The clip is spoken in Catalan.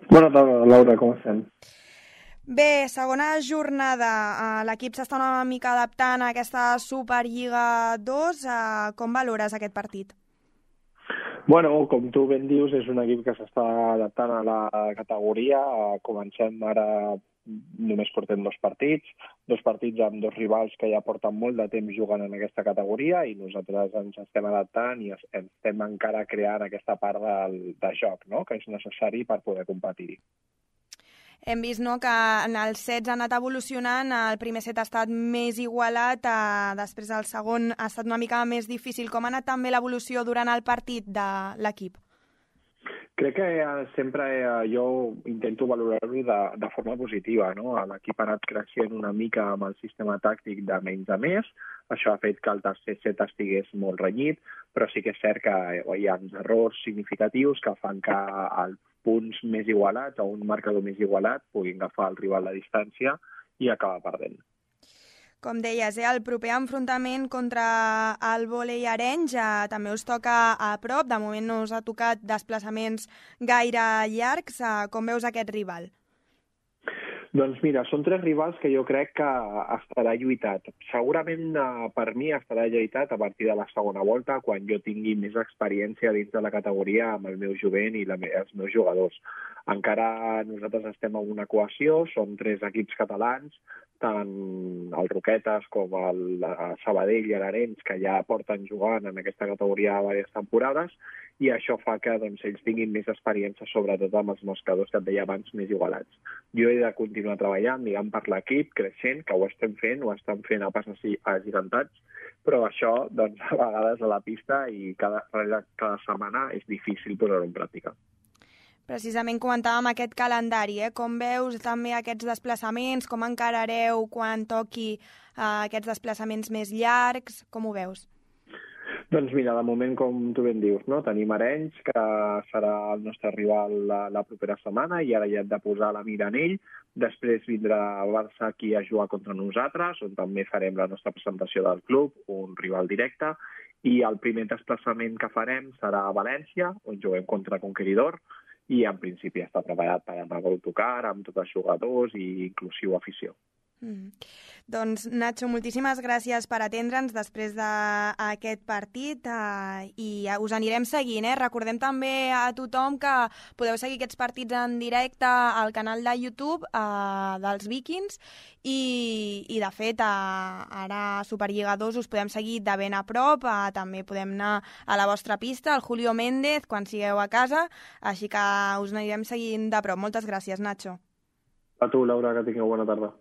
Bona tarda, Laura, com estem? Bé, segona jornada. L'equip s'està una mica adaptant a aquesta Superliga 2. Com valores aquest partit? Bueno, com tu ben dius, és un equip que s'està adaptant a la categoria. Comencem ara, només portem dos partits amb dos rivals que ja porten molt de temps jugant en aquesta categoria i nosaltres ens estem adaptant i estem encara creant aquesta part de joc, no?, que és necessari per poder competir-hi. Hem vist, no, que en els sets ha anat evolucionant, el primer set ha estat més igualat, després el segon ha estat una mica més difícil. Com ha anat també l'evolució durant el partit de l'equip? Crec que sempre jo intento valorar-ho de forma positiva, no? L'equip ha anat creixent una mica amb el sistema tàctic de menys a més. Això ha fet que el tercer set estigués molt renyit, però sí que és cert que hi ha errors significatius que fan que els punts més igualats o un marcador més igualat puguin agafar el rival a distància i acabar perdent. Com deies, el proper enfrontament contra el vòlei Arenys també us toca a prop. De moment no us ha tocat desplaçaments gaire llargs. Com veus aquest rival? Doncs mira, són tres rivals que jo crec que estarà lluitat. Segurament per mi estarà lluitat a partir de la segona volta, quan jo tingui més experiència dins de la categoria amb el meu jovent i els meus jugadors. Encara nosaltres estem en una cohesió, són tres equips catalans, tant el Roquetes com el Sabadell i l'Arenys, que ja porten jugant en aquesta categoria diverses temporades, i això fa que ells tinguin més experiència, sobretot amb els moscadors que et deia abans, més igualats. Jo he de continuar treballant, diguem, per l'equip, creixent, que ho estem fent, ho estan fent a passos agigantats, però això, a vegades a la pista i cada setmana és difícil posar-ho en pràctica. Precisament comentàvem aquest calendari, com veus també aquests desplaçaments, com encarareu quan toqui aquests desplaçaments més llargs, com ho veus? Doncs mira, de moment, com tu ben dius, no? Tenim Arenys, que serà el nostre rival la propera setmana, i ara ja hem de posar la mira en ell. Després vindrà Barça aquí a jugar contra nosaltres, on també farem la nostra presentació del club, un rival directe, i el primer desplaçament que farem serà a València, on juguem contra Conqueridor, i en principi està preparat per anar a autocar amb tots els jugadors i inclusiu afició. Doncs, Nacho, moltíssimes gràcies per atendre'ns després d'aquest partit i us anirem seguint. Recordem també a tothom que podeu seguir aquests partits en directe al canal de YouTube dels Vikings i de fet, ara a Superliga 2 us podem seguir de ben a prop, també podem anar a la vostra pista, al Julio Méndez, quan sigueu a casa, així que us anirem seguint de prop. Moltes gràcies, Nacho. A tu, Laura, que tingueu bona tarda.